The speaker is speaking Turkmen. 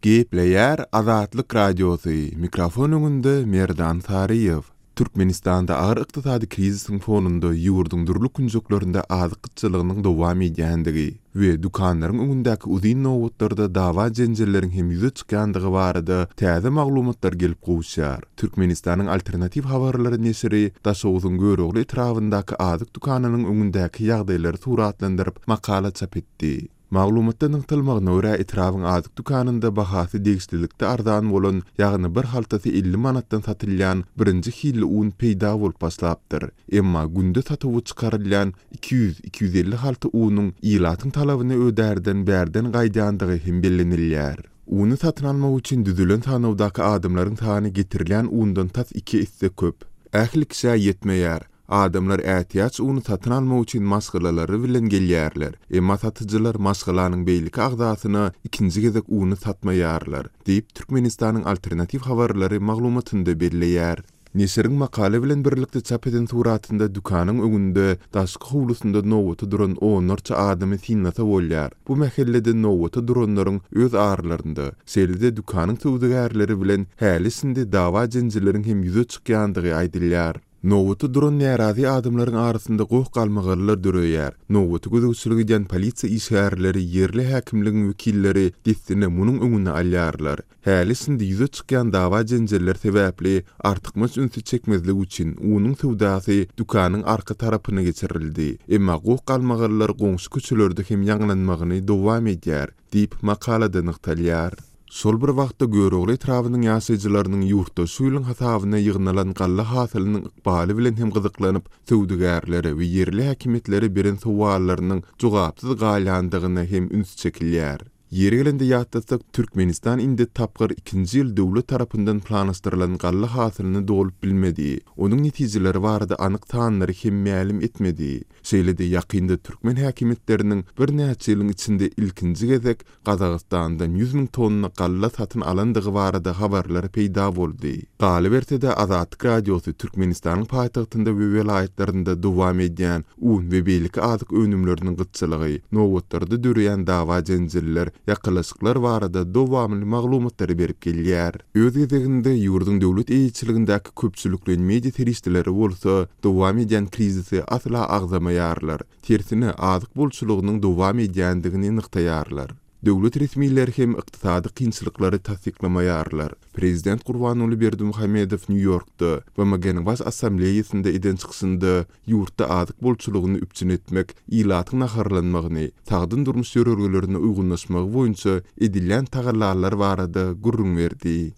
Gepleýär Azatlyk Radiosy, mikrofon öňünde Merdan Saryýew. Türkmenistanda agyr ykdysady krizisiň fonunda ýurduň dürli künjeklerinde azyk gytçylygynyň dowam edýändigi we dükanlaryň öňündäki uzyn nobatlarda dawa-jenjelleriň hem ýüze çykýandygy barada täze maglumatlar gelip gowuşýar. Türkmenistanyň Alternatiw habarlary neşiri Daşoguzyň Görogly etrabyndaky azyk dükanynyň öňündäki ýagdaýlary suratlandyryp makala çap etdi. Maglumatda nygtalmagyna görä, etrabyň azyk dükanynda bahasy degişlilikde arzan bolan, ýagny bir haltasy 50 manatdan satylýan birinji hilli un peýda bolup başlapdyr. Emma günde satuwa çykarylýan 200, 250 halta unuň ilatyň talabyny ödärden bärden gaýdýandygy hem bellenilýär. Uny satyn almak üçin düzülen sanawdaky adamlaryň sany getirilýän undan tas iki esse köp. Ähli kişä ýetmeýär. Adamlar ätiýaç uny satyn almak üçin maşgalalary bilen gelýärler. Emma satyjylar maşgalanyň beýleki agzasyna ikinji gezek uny satmaýarlar, diýip, Türkmenistanyň Alternatiw habarlary maglumatynda belleýär. Neşiriň makala bilen birlikde çap eden suratynda dükanyň öňünde, daşky howlusynda nobata duran onlarça adamy synlasa bolýar. Bu mähellede nobata duranlaryň öz aralarynda, şeýle-de dükanyň söwdagärleri bilen häli-şindi dawa-jenjelleriň hem ýüze çykýandygy aýdylýar. Nobata duran närazy adamlaryň arasynda goh-galmagallar döreýär. Nobata gözegçilik edýän polisiýa işgärleri, ýerli häkimligiň wekilleri dessine munuň öňüni alýarlar. Häli-şindi ýüze çykýan dawa-jenjeller sebäpli artykmaç ünsi çekmezlik üçin unuň söwdasy dükanyň arka tarapyna geçirildi. Emma goh-galmagallar goňşy köçelerde hem ýaňlanmagyny dowam edýär, diýip, makalada nygtalýar. Şol bir wagtda, Görogly etrabynyň ýaşaýjylarynyň ýurtda şu ýylyň hasabyna ýygnalan galla hasylynyň ykbaly bilen hem gyzyklanyp, söwdagärlere we ýerli häkimiýetlere beren sowallarynyň jogapsyz galýandygyna hem üns çekilýär. Ýeri gelende ýatlatsak, Türkmenistan indi tapgyr ikinji ýyl döwlet tarapyndan planlaşdyrylan galla hasylyny dolup bilmedi. Onuň netijeleri barada anyk sanlary hem mälim etmedi. Şeýle-de ýakynda türkmen häkimiýetleriniň birnäçe ýylyň içinde ilkinji gezek Gazagystandan 100 000 tonna galla satyn alandygy barada habarlar peýda boldy. Galyberse-de, Azatlyk Radiosy Türkmenistanyň paýtagtynda we welaýatlarynda dowam edýän un we beýleki azyk önümleriniň gytçylygy, nobatlarda döreýän dawa-jenjeller, ýakalaşyklar barada dowamly maglumatlary berip gelýär. Öz gezeginde, ýurduň döwlet eýeçiligindäki köpçülikleýin media serişdeleri bolsa dowam edýän krizisi asla agzamaýarlar, tersine, azyk bolçulygynyň dowam edýändigini nygtaýarlar. Döwlet resmileri hem ykdysady kynçylyklary tassyklamaýarlar. Prezident Gurbanguly Berdimuhamedow Nýu-Ýorkda, BMG-niň Baş Assambleýasynda eden çykyşynda ýurtda azyk bolçulygyny üpjün etmek, ilatyň naharlanmagyny, sagdyn durmuş ýörelgelerine uýgunlaşmagy boýunça edilýän tagallalar barada gürrüň berdi.